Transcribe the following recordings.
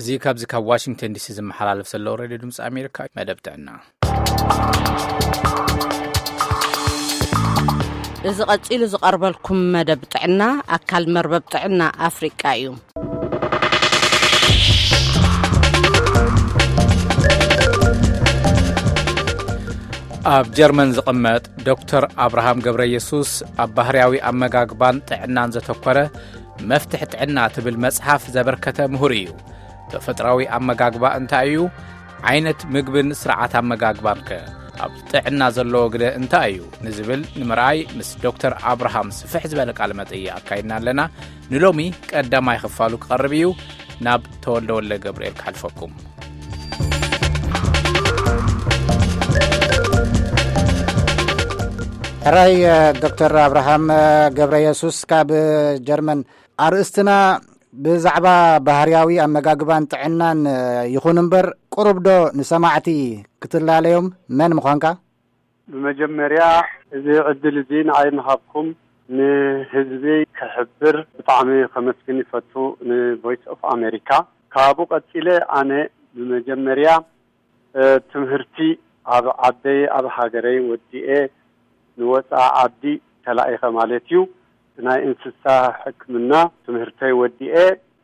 እዚ ካብዚ ካብ ዋሽንግተን ዲሲ ዝመሓላለፍ ዘሎ ሬድዮ ድምፂ ኣሜሪካ መደብ ጥዕና። እዚ ቀጺሉ ዝቐርበልኩም መደብ ጥዕና ኣካል መርበብ ጥዕና ኣፍሪቃ እዩ። ኣብ ጀርመን ዝቕመጥ ዶክተር ኣብርሃም ገብረ የሱስ ኣብ ባህርያዊ ኣመጋግባን ጥዕናን ዘተኮረ መፍትሕ ጥዕና ትብል መጽሓፍ ዘበርከተ ምሁር እዩ። ተፈጥራዊ ኣመጋግባ እንታይ እዩ? ዓይነት ምግብን ስርዓት ኣመጋግባን ከ ኣብ ጥዕና ዘለዎ ግደ እንታይ እዩ? ንዝብል ንምርኣይ ምስ ዶክተር ኣብርሃም ስፍሕ ዝበለ ቃለ መጠይቕ ኣካይድና ኣለና። ንሎሚ ቀዳማይ ክፋሉ ክቐርብ እዩ። ናብ ተወልደ ወልደ ገብርኤል ክሓልፈኩም። ሕራይ ዶክተር ኣብርሃም ገብረ የሱስ ካብ ጀርመን፣ ኣርእስትና ብዛዕባ ባህርያዊ ኣመጋግባን ጥዕናን ይኹን እምበር፣ ቁሩብ ዶ ንሰማዕቲ ክትላለዮም መን ምዃንካ? ብመጀመርያ፣ እዚ ዕድል እዚ ንዓይ ምሃብኩም ንህዝቢ ክሕብር ብጣዕሚ ከመስግን ይፈቱ፣ ንቮይስ ኦፍ ኣሜሪካ። ካብኡ ቀጺለ፣ ኣነ ብመጀመርያ፣ እ፣ ትምህርቲ ኣብ ዓደይ፣ ኣብ ሃገረይ ወዲኤ ንወጻኢ ዓዲ ተላኢኸ ማለት እዩ። ናይ እንስሳ ሕክምና ትምህርተይ ወዲኤ፣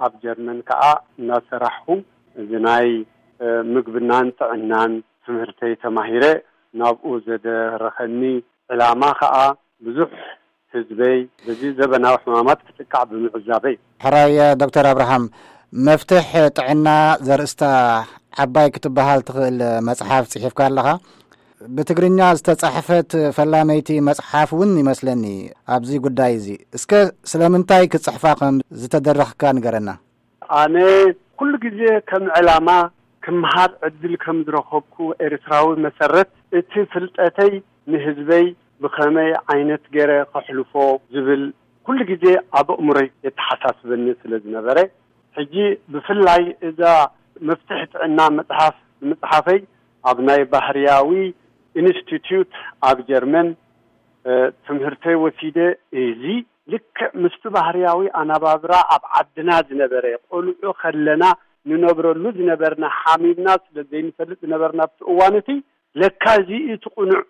ኣብ ጀርመን ከኣ እናሰራሕኹ፣ እዚ ናይ፣ እ፣ ምግብናን ጥዕናን ትምህርተይ ተማሂረ፣ ናብኡ ዘደረኸኒ ዕላማ ከኣ ብዙሕ ህዝበይ በዚ ዘበናዊ ሕማማት ክጥቃዕ ብምዕዛበይ። ሕራይ ዶክተር ኣብርሃም፣ መፍትሕ ጥዕና ዘርእስታ ዓባይ ክትበሃል ትኽእል መጽሓፍ ጽሒፍካ ኣለኻ። ብትግርኛ ዝተጻሕፈት ፈላመይቲ መጽሓፍ እውን ይመስለኒ ኣብዚ ጉዳይ እዚ። እስከ ስለምንታይ ክትጽሕፋ ከም ዝተደረኽካ ንገረና። ኣነ ኩሉ ግዜ ከም ዕላማ ክምሃር ዕድል ከም ዝረኸብኩ ኤርትራዊ መሰረት፣ እቲ ፍልጠተይ ንህዝበይ ብኸመይ ዓይነት ገይረ ከሕልፎ ዝብል ኩሉ ግዜ ኣብ ኣእምሮይ የተሓሳስበኒ ስለ ዝነበረ፣ ሕጂ ብፍላይ እዛ መፍትሕ ጥዕና መጽሓፍ ንምጽሓፈይ ኣብ ናይ ባህርያዊ ኢንስቲትዩት ኣብ ጀርመን፣ እ፣ ትምህርተይ ወሲደ፣ እዚ ልክዕ ምስቲ ባህርያዊ ኣነባብራ ኣብ ዓድና ዝነበረ፣ ቆልዑ ከለና ንነብረሉ ዝነበርና፣ ሓሚምና ስለ ዘይንፈልጥ ዝነበርና ኣብቲ እዋን እቲ፣ ለካ እዚ እቲ ቅኑዕ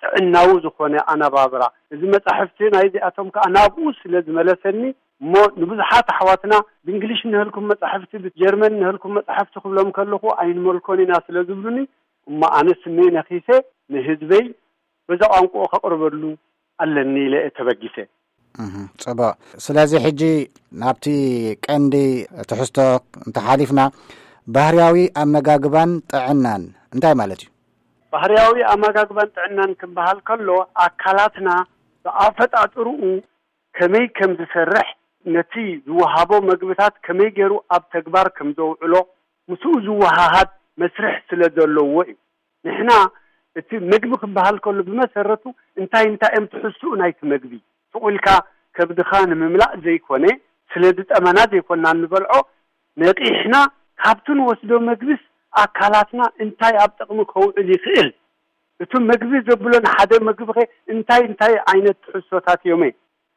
ጥዕናዊ ዝኾነ ኣነባብራ፣ እዚ መጻሕፍቲ ናይዚኣቶም ከኣ ናብኡ ስለ ዝመለሰኒ፣ እሞ ንብዙሓት ኣሕዋትና ብእንግሊሽ እንሀልኩም መጻሕፍቲ፣ ብጀርመን እንሀልኩም መጻሕፍቲ ክብሎም ከለኹ ኣይንመልኮን ኢና ስለ ዝብሉኒ፣ እሞ ኣነ ስመይ ነኺሰ ንህዝበይ በዛ ቋንቋኡ ከቕርበሉ ኣለኒ ኢለ እየ ተበጊሰ። እህ፣ ጽቡቕ። ስለዚ ሕጂ ናብቲ ቀንዲ ትሕዝቶ እንተሓሊፍና፣ ባህርያዊ ኣመጋግባን ጥዕናን እንታይ ማለት እዩ? ባህርያዊ ኣመጋግባን ጥዕናን ክበሃል ከሎ፣ ኣካላትና ብኣፈጣጥርኡ ከመይ ከም ዝሰርሕ፣ ነቲ ዝወሃቦ መግብታት ከመይ ገይሩ ኣብ ተግባር ከም ዘውዕሎ፣ ምስኡ ዝወሃሃድ መስርሕ ስለ ዘለዎ እዩ። ንሕና እቲ መግቢ ክበሃል ከሎ ብመሰረቱ እንታይ እንታይ እዮም ትሕዝትኡ ናይቲ መግቢ? ስቕ ኢልካ ከብድኻ ንምምላእ ዘይኮነ፣ ስለ ዝጠመና ዘይኮና እንበልዖ፣ ነቒሕና ካብቲ ንወስዶ መግብስ ኣካላትና እንታይ ኣብ ጥቕሚ ከውዕል ይኽእል? እቲ መግቢ ዘብሎ ንሓደ መግቢ ኸ እንታይ እንታይ ዓይነት ትሕዝቶታት እዮም?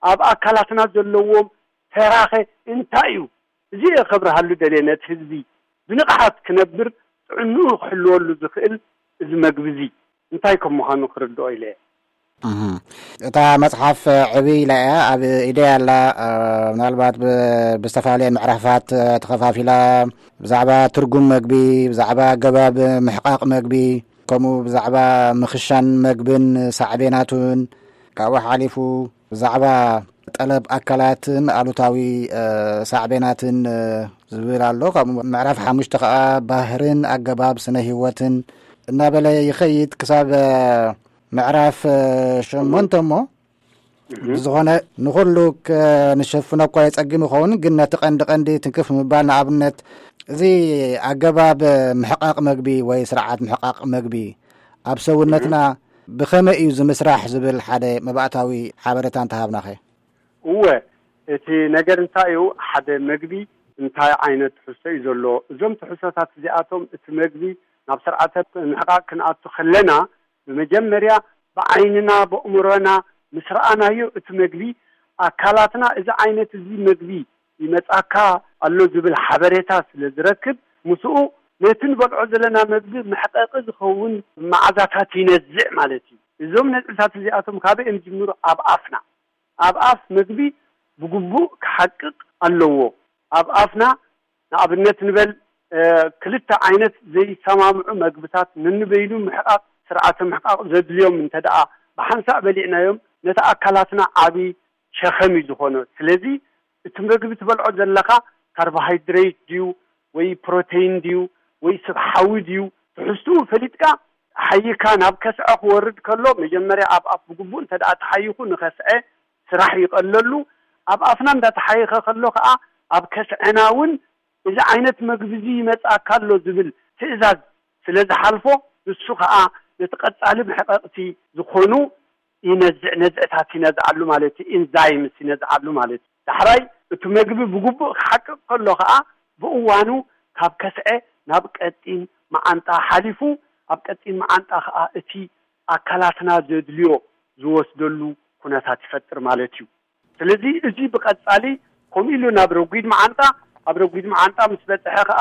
ኣብ ኣካላትና ዘለዎም ተራኸ እንታይ እዩ? እዚ እየ ከብርሃሉ ደልየ፣ ነቲ ህዝቢ ብንቕሓት ክነብር ጥዕንኡ ክሕልወሉ ዝኽእል እዚ መግቢ እዚ እንታይ ከም ምዃኑ ክርድኦ ኢለ እየ። እህ። እታ መጽሓፍ ዕብይ ኢላ እያ፣ ኣብ ኢደይ ኣላ። እ፣ ምናልባት ብ-፣ ብዝተፈላለየ ምዕራፋት፣ እ፣ ተኸፋፊላ፣ ብዛዕባ ትርጉም መግቢ፣ ብዛዕባ ኣገባብ ምሕቃቕ መግቢ፣ ከምኡ ብዛዕባ ምኽሻን መግብን ሳዕቤናቱን፣ ካብኡ ሓሊፉ ብዛዕባ ጠለብ ኣካላትን ኣሉታዊ፣ እ፣ ሳዕቤናትን፣ እ፣ ዝብል ኣሎ። ካብኡ ምዕራፍ ሓሙሽተ ከኣ ባህርን ኣገባብ ስነ ህይወትን እናበለ ይኸይድ ክሳብ፣ እ፣ ምዕራፍ፣ እ፣ ሸሞንተ እሞ፣ እህ። ብዝኾነ ንኹሉ ከ-፣ ንሸፍኖ እኳ የጸግም ይኸውን፣ ግን ነቲ ቀንዲ ቀንዲ ትንክፍ ምባል፣ ንኣብነት እዚ ኣገባብ ምሕቃቕ መግቢ ወይ ስርዓት ምሕቃቕ መግቢ ኣብ ሰውነትና እህ። ብኸመይ እዩ ዝምስራሕ ዝብል ሓደ መባእታዊ ሓበሬታ እንተሃብናኸ? እወ፣ እቲ ነገር እንታይ እዩ? ሓደ መግቢ እንታይ ዓይነት ትሕዝቶ እዩ ዘለዎ? እዞም ትሕዝቶታት እዚኣቶም፣ እቲ መግቢ ናብ ስርዓተ ምሕቃቕ ክንኣቱ ከለና፣ ብመጀመርያ ብዓይንና፣ ብኣእምሮና ምስ ረኣናዮ፣ እቲ መግቢ ኣካላትና እዚ ዓይነት እዚ መግቢ ይመጻካ ኣሎ ዝብል ሓበሬታ ስለ ዝረክብ፣ ምስኡ ነቲ ንበልዖ ዘለና መግቢ መሕቐቒ ዝኸውን መዓዛታት ይነዝዕ ማለት እዩ። እዞም ነዝዕታት እዚኣቶም ካበይ እዮም ዝጅምሩ? ኣብ ኣፍና። ኣብ ኣፍ መግቢ ብግቡእ ክሓቅቕ ኣለዎ። ኣብ ኣፍና ንኣብነት ንበል፣ እ፣ ክልተ ዓይነት ዘይሰማምዑ መግብታት ነንበይኑ ምሕቃቕ፣ ስርዓተ ምሕቃቕ ዘድልዮም እንተ ደኣ ብሓንሳእ በሊዕናዮም፣ ነቲ ኣካላትና ዓቢ ሸኸም እዩ ዝኾኖ። ስለዚ እቲ መግቢ ትበልዖ ዘለኻ ካርቦሃይድሬት ድዩ ወይ ፕሮቴይን ድዩ ወይ ስብ ሓዊ ድዩ፣ ትሕዝትኡ ፈሊጥካ ሓይካ ናብ ከስዐ ክወርድ ከሎ፣ መጀመርያ ኣብ ኣፍ ብግቡእ እንተ ደኣ ተሓይኹ ንኸስዐ ስራሕ ይቐለሉ። ኣብ ኣፍና እንዳተሓየኸ ከሎ ከኣ ኣብ ከስዐና እውን እዚ ዓይነት መግቢ እዚ ይመጽኣካ ኣሎ ዝብል ትእዛዝ ስለ ዝሓልፎ፣ ንሱ ከኣ ነቲ ቀጻሊ መሕቐቕቲ ዝኾኑ ይነዝዕ፣ ነዝዕታት ይነዝዓሉ ማለት እዩ። ኢንዛይምስ ይነዝዓሉ ማለት እዩ። ዳሕራይ እቲ መግቢ ብግቡእ ክሓቅቕ ከሎ ከኣ ብእዋኑ ካብ ከስዐ ናብ ቀጢን መዓንጣ ሓሊፉ፣ ኣብ ቀጢን መዓንጣ ከኣ እቲ ኣካላትና ዘድልዮ ዝወስደሉ ኩነታት ይፈጥር ማለት እዩ። ስለዚ እዚ ብቐጻሊ ከምኡ ኢሉ ናብ ረጒድ መዓንጣ፣ ኣብ ረጒድ መዓንጣ ምስ በጽሐ ከኣ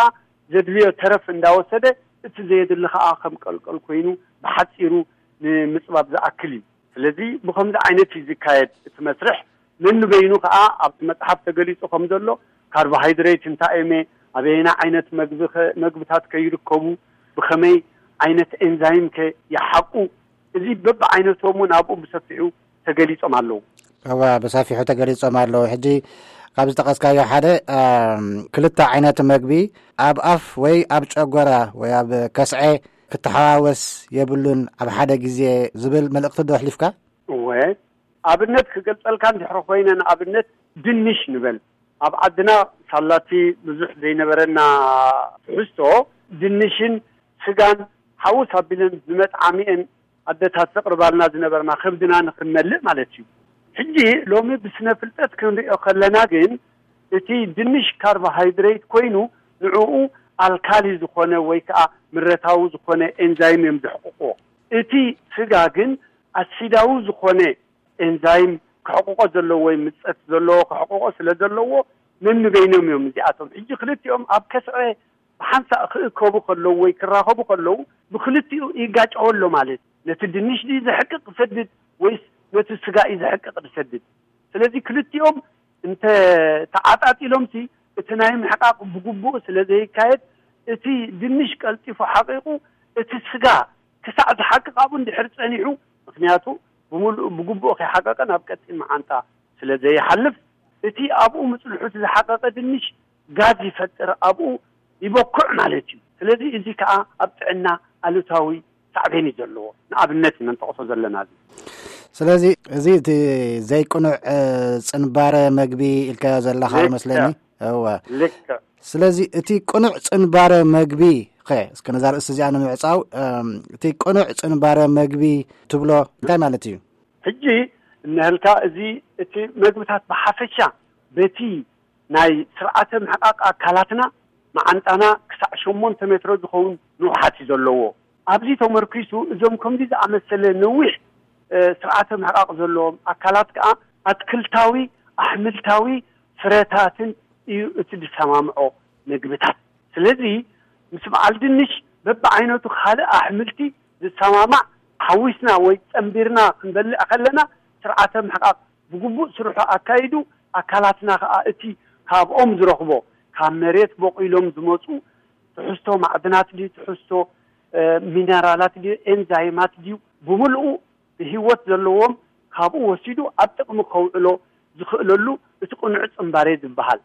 ዘድልዮ ተረፍ እንዳወሰደ፣ እቲ ዘየድሊ ከኣ ከም ቀልቀል ኮይኑ ብሓጺሩ ንምጽባብ ዝኣክል እዩ። ስለዚ ብኸምዚ ዓይነት እዩ ዝካየድ እቲ መስርሕ። ነንበይኑ ከኣ ኣብቲ መጽሓፍ ተገሊጹ ከም ዘሎ ካርቦሃይድሬት እንታይ እዩመ፣ ኣበየና ዓይነት መግቢ ከ-፣ መግብታት ከይርከቡ፣ ብኸመይ ዓይነት ኤንዛይም ከ ይሓቁ፣ እዚ በብዓይነቶም እውን ኣብኡ ብሰፊሑ ተገሊጾም ኣለዉ። እወ፣ ብሰፊሑ ተገሊጾም ኣለዉ። ሕጂ ካብ ዝጠቐስካዮ ሓደ፣ ኣም፣ ክልተ ዓይነት መግቢ ኣብ ኣፍ ወይ ኣብ ጨጎራ ወይ ኣብ ከስዐ ክተሓዋወስ የብሉን ኣብ ሓደ ግዜ ዝብል መልእኽቲ ዶ ኣሕሊፍካ? እወ፣ ኣብነት ክገልጸልካ እንድሕሪ ኮይነ፣ ንኣብነት ድንሽ ንበል። ኣብ ዓድና ሳላቲ ብዙሕ ዘይነበረና ትሕዝቶ፣ ድንሽን ስጋን ሓውስ ኣቢለን ዝመጥዓሚኤን ኣደታት ዘቕርባልና ዝነበርና፣ ከብድና ንኽንመልእ ማለት እዩ። ሕጂ ሎሚ ብስነ ፍልጠት ክንሪኦ ከለና ግን፣ እቲ ድንሽ ካርቦሃይድሬት ኮይኑ፣ ንዕኡ ኣልካሊ ዝኾነ ወይ ከኣ ምረታዊ ዝኾነ ኤንዛይም እዮም ዘሕቅቕዎ። እቲ ስጋ ግን ኣሲዳዊ ዝኾነ ኤንዛይም ክሕቅቆ ዘለዎ ወይ ምጸት ዘለዎ ክሕቅቆ ስለ ዘለዎ፣ ነንበይኖም እዮም እዚኣቶም። ሕጂ ክልቲኦም ኣብ ከስዐ ብሓንሳእ ክእከቡ ከለዉ ወይ ክራኸቡ ከለዉ፣ ብክልቲኡ ይጋጨው ኣሎ ማለት፣ ነቲ ድንሽ ድዩ ዘሕቅቕ ዝሰድድ ወይስ ነቲ ስጋ እዩ ዘሕቅቕ ዝሰድድ? ስለዚ ክልቲኦም እንተ ተዓጣጢሎምሲ፣ እቲ ናይ ምሕቃቕ ብግቡእ ስለ ዘይካየድ፣ እቲ ድንሽ ቀልጢፉ ሓቂቑ፣ እቲ ስጋ ክሳዕ ዝሓቅቕ ኣብኡ እንድሕር ጸኒሑ፣ ምኽንያቱ ብምሉእ ብግቡእ ከይሓቀቀ ናብ ቀጢን መዓንጣ ስለ ዘይሓልፍ፣ እቲ ኣብኡ ምጽንሑ እቲ ዝሓቀቀ ድንሽ ጋዝ ይፈጥር፣ ኣብኡ ይበኩዕ ማለት እዩ። ስለዚ እዚ ከኣ ኣብ ጥዕና ኣሉታዊ ሳዕቤን እዩ ዘለዎ። ንኣብነት ኢና ንጠቕሶ ዘለና እዚ። ስለዚ እዚ እቲ ዘይቅኑዕ፣ እ፣ ጽንባረ መግቢ ኢልካዮ ዘለኻ ልክዕ። ይመስለኒ። እወ። ልክዕ። ስለዚ እቲ ቅኑዕ ጽንባረ መግቢ ኸ፣ እስከ ነዛ ርእሲ እዚኣ ንምዕጻው፣ እም፣ እቲ ቅኑዕ ጽንባረ መግቢ ትብሎ እንታይ ማለት እዩ? ሕጂ እንሀልካ፣ እዚ እቲ መግብታት ብሓፈሻ በቲ ናይ ስርዓተ ምሕቃቕ ኣካላትና፣ መዓንጣና ክሳዕ ሸሞንተ ሜትሮ ዝኸውን ንውሓት እዩ ዘለዎ። ኣብዚ ተመርኪሱ እዞም ከምዚ ዝኣመሰለ ነዊሕ፣ እ፣ ስርዓተ ምሕቃቕ ዘለዎም ኣካላት ከኣ ኣትክልታዊ፣ ኣሕምልታዊ ፍረታትን እዩ እቲ ዝሰማምዖ መግብታት። ስለዚ ምስ በዓል ድንሽ በብዓይነቱ ካልእ ኣሕምልቲ ዝሰማማዕ ሓዊስና ወይ ጸንቢርና ክንበልዕ ከለና፣ ስርዓተ ምሕቃቕ ብግቡእ ስርሑ ኣካይዱ፣ ኣካላትና ከኣ እቲ ካብኦም ዝረኽቦ፣ ካብ መሬት በቂሎም ዝመጹ ትሕዝቶ ማዕድናት ድዩ፣ ትሕዝቶ፣ እ፣ ሚነራላት ድዩ፣ ኤንዛይማት ድዩ፣ ብምልኡ ብህይወት ዘለዎም ካብኡ ወሲዱ ኣብ ጥቕሚ ከውዕሎ ዝኽእለሉ እቲ ቅኑዕ ጽንባሬ ዝበሃል።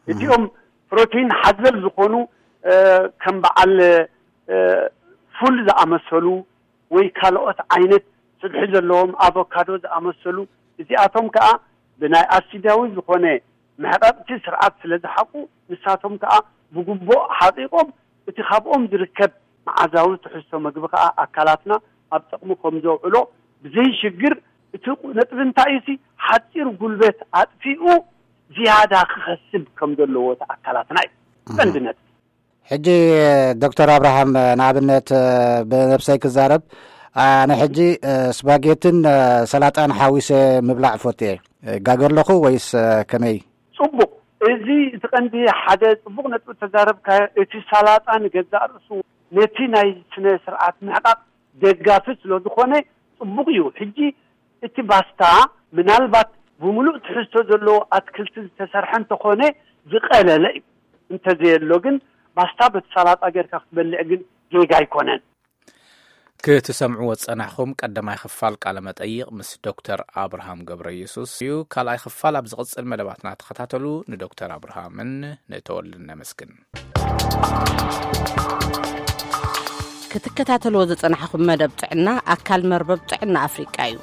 እቲኦም ፕሮቲን ሓዘል ዝኾኑ፣ እ፣ ከም በዓል፣ እ፣ ፉል ዝኣመሰሉ ወይ ካልኦት ዓይነት ስብሒ ዘለዎም ኣቮካዶ ዝኣመሰሉ፣ እዚኣቶም ከኣ ብናይ ኣሲዳዊ ዝኾነ መሕቐቕቲ ስርዓት ስለ ዝሓቁ፣ ንሳቶም ከኣ ብግቡእ ሓቒቖም፣ እቲ ካብኦም ዝርከብ መዓዛዊ ትሕዝቶ መግቢ ከኣ ኣካላትና ኣብ ጥቕሚ ከም ዘውዕሎ ብዘይሽግር፣ እቲ ነጥቢ እንታይ እዩ? ሓጺር ጉልበት ኣጥፊኡ ዝያዳ ክኸስብ ከም ዘለዎ እቲ ኣካላትና እዩ ቀንዲ ነጥቢ። ሕጂ ዶክተር ኣብርሃም፣ ንኣብነት፣ ብነብሰይ ክዛረብ፣ ኣነ ሕጂ ስፓጌትን ሰላጣን ሓዊሰ ምብላዕ እፈቱ እየ። ይጋገ ኣለኹ ወይስ ከመይ? ጽቡቕ። እዚ እቲ ቀንዲ ሓደ ጽቡቕ ነጥቢ ተዛረብካ። እቲ ሳላጣ ንገዛእ ርእሱ ነቲ ናይ ስነ ስርዓት ምሕቃቕ ደጋፊ ስለ ዝኾነ ጽቡቕ እዩ። ሕጂ እቲ ባስታ ምናልባት ብምሉእ ትሕዝቶ ዘለዎ ኣትክልቲ ዝተሰርሐ እንተኾነ ዝቐለለ እዩ። እንተዘየሎ ግን ባስታ በቲ ሳላጣ ጌርካ ክትበልዕ ግን ጌጋ ኣይኮነን። ክትሰምዕዎ ዝጸናሕኹም ቀዳማይ ክፋል ቃለ መጠይቕ ምስ ዶክተር ኣብርሃም ገብረ ኢየሱስ እዩ። ካልኣይ ክፋል ኣብ ዝቕጽል መደባትና ተኸታተሉ። ንዶክተር ኣብርሃምን ንተወልድን ነመስግን። ክትከታተልዎ ዝጸናሕኹም መደብ ጥዕና ኣካል መርበብ ጥዕና ኣፍሪቃ እዩ።